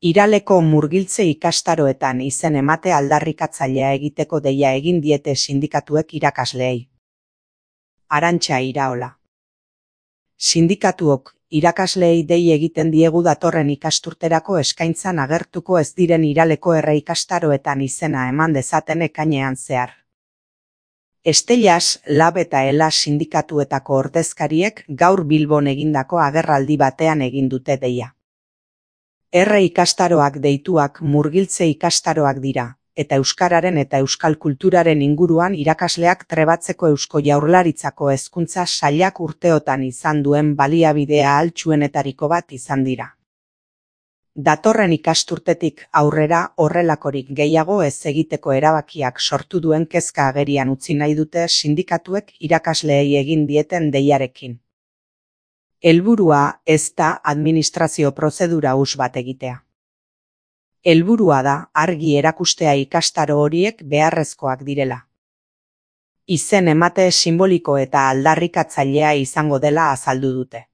Iraleko murgiltze ikastaroetan izen emate aldarrikatzailea egiteko deia egin diete sindikatuek irakasleei. Arantxa Iraola. Sindikatuok irakasleei dei egiten diegu datorren ikasturterako eskaintzan agertuko ez diren Iraleko erre ikastaroetan izena eman dezaten ekainean zehar. Estellas, Lab eta Ela sindikatuetako ordezkariek gaur Bilbon egindako agerraldi batean egin dute deia. Erre ikastaroak deituak murgiltze ikastaroak dira, eta euskararen eta euskal kulturaren inguruan irakasleak trebatzeko Eusko Jaurlaritzako hezkuntza sailak urteotan izan duen baliabidea ahaltsuenetariko bat izan dira. Datorren ikasturtetik aurrera horrelakorik gehiago ez egiteko erabakiak sortu duen kezka agerian utzi nahi dute sindikatuek irakasleei egin dieten deiarekin. Helburua ez da administrazio prozedura huts bat egitea. Helburua da argi erakustea ikastaro horiek beharrezkoak direla. Izen emate simboliko eta aldarrikatzailea izango dela azaldu dute.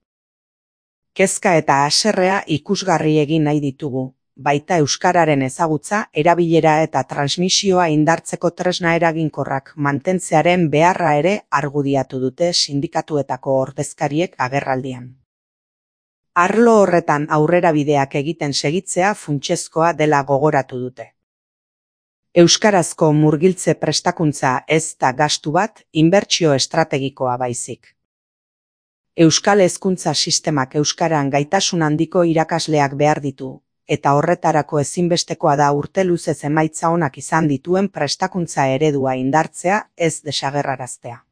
Kezka eta haserrea ikusgarri egin nahi ditugu, baita euskararen ezagutza, erabilera eta transmisioa indartzeko tresna eraginkorrak mantentzearen beharra ere argudiatu dute sindikatuetako ordezkariek agerraldian. Arlo horretan aurrerabideak egiten segitzea funtsezkoa dela gogoratu dute. Euskarazko murgiltze prestakuntza ez da gastu bat, inbertsio estrategikoa baizik. Euskal hezkuntza sistemak euskaran gaitasun handiko irakasleak behar ditu, eta horretarako ezinbestekoa da urte luzez emaitza onak izan dituen prestakuntza eredua indartzea ez desagerraraztea.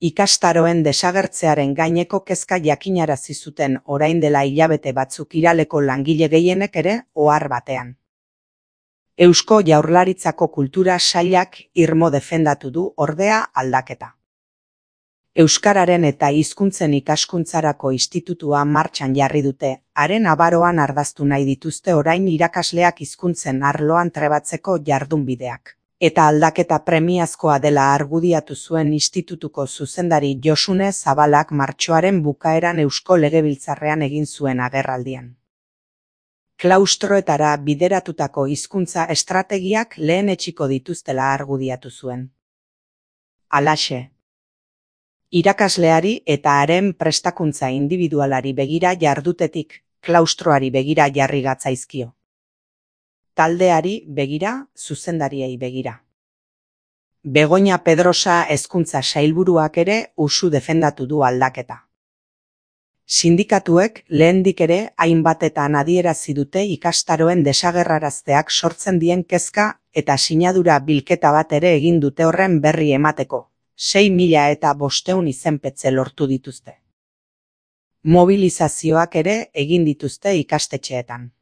Ikastaroen desagertzearen gaineko kezka jakinarazi zuten orain dela hilabete batzuk Iraleko langile gehienek ere ohar batean. Eusko Jaurlaritzako kultura sailak irmo defendatu du ordea aldaketa. Euskararen eta hizkuntzen ikaskuntzarako institutua martxan jarri dute, haren abaroan ardaztu nahi dituzte orain irakasleak hizkuntzen arloan trebatzeko jardunbideak. Eta aldaketa premiazkoa dela argudiatu zuen institutuko zuzendari Josune Zabalak martxoaren bukaeran Eusko Legebiltzarrean egin zuen agerraldian. Klaustroetara bideratutako hizkuntza estrategiak lehenetsiko dituztela argudiatu zuen. Halaxe. Irakasleari eta haren prestakuntza indibidualari begira jardutetik, klaustroari begira jarri gatzaizkio. Taldeari begira, zuzendariei begira. Begoña Pedrosa hezkuntza sailburuak ere usu defendatu du aldaketa. Sindikatuek lehendik ere hainbatetan adierazi dute ikastaroen desagerrarazteak sortzen dien kezka eta sinadura bilketa bat ere egin dute horren berri emateko. 6.500 izenpetze lortu dituzte. Mobilizazioak ere egin dituzte ikastetxeetan.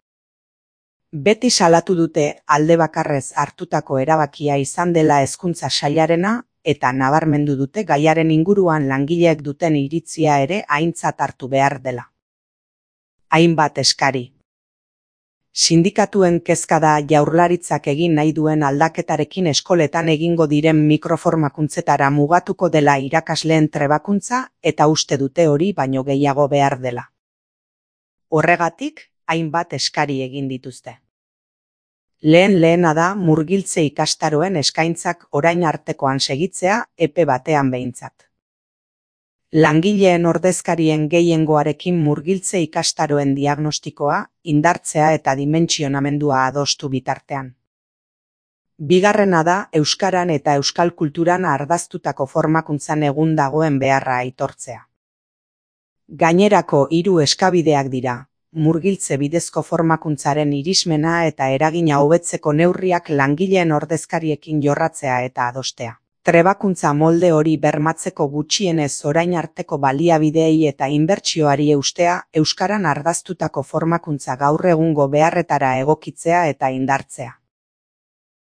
Beti salatu dute alde bakarrez hartutako erabakia izan dela hezkuntza sailarena eta nabarmendu dute gaiaren inguruan langileek duten iritzia ere aintzat hartu behar dela. Hainbat eskari. Sindikatuen kezka da Jaurlaritzak egin nahi duen aldaketarekin eskoletan egingo diren mikroformakuntzetara mugatuko dela irakasleen trebakuntza eta uste dute hori baino gehiago behar dela. Horregatik, hainbat eskari egin dituzte. Lehena da murgiltze ikastaroen eskaintzak orain artekoan segitzea epe batean behintzat. Langileen ordezkarien gehiengoarekin murgiltze ikastaroen diagnostikoa, indartzea eta dimentsionamendua adostu bitartean. Bigarrena da euskaran eta euskal kulturan ardaztutako formakuntzan egun dagoen beharra aitortzea. Gainerako 3 eskabideak dira, murgiltze bidezko formakuntzaren irismena eta eragina hobetzeko neurriak langileen ordezkariekin jorratzea eta adostea. Trebakuntza molde hori bermatzeko gutxienez orain arteko baliabideei eta inbertsioari eustea, euskaran ardaztutako formakuntza gaur egungo beharretara egokitzea eta indartzea.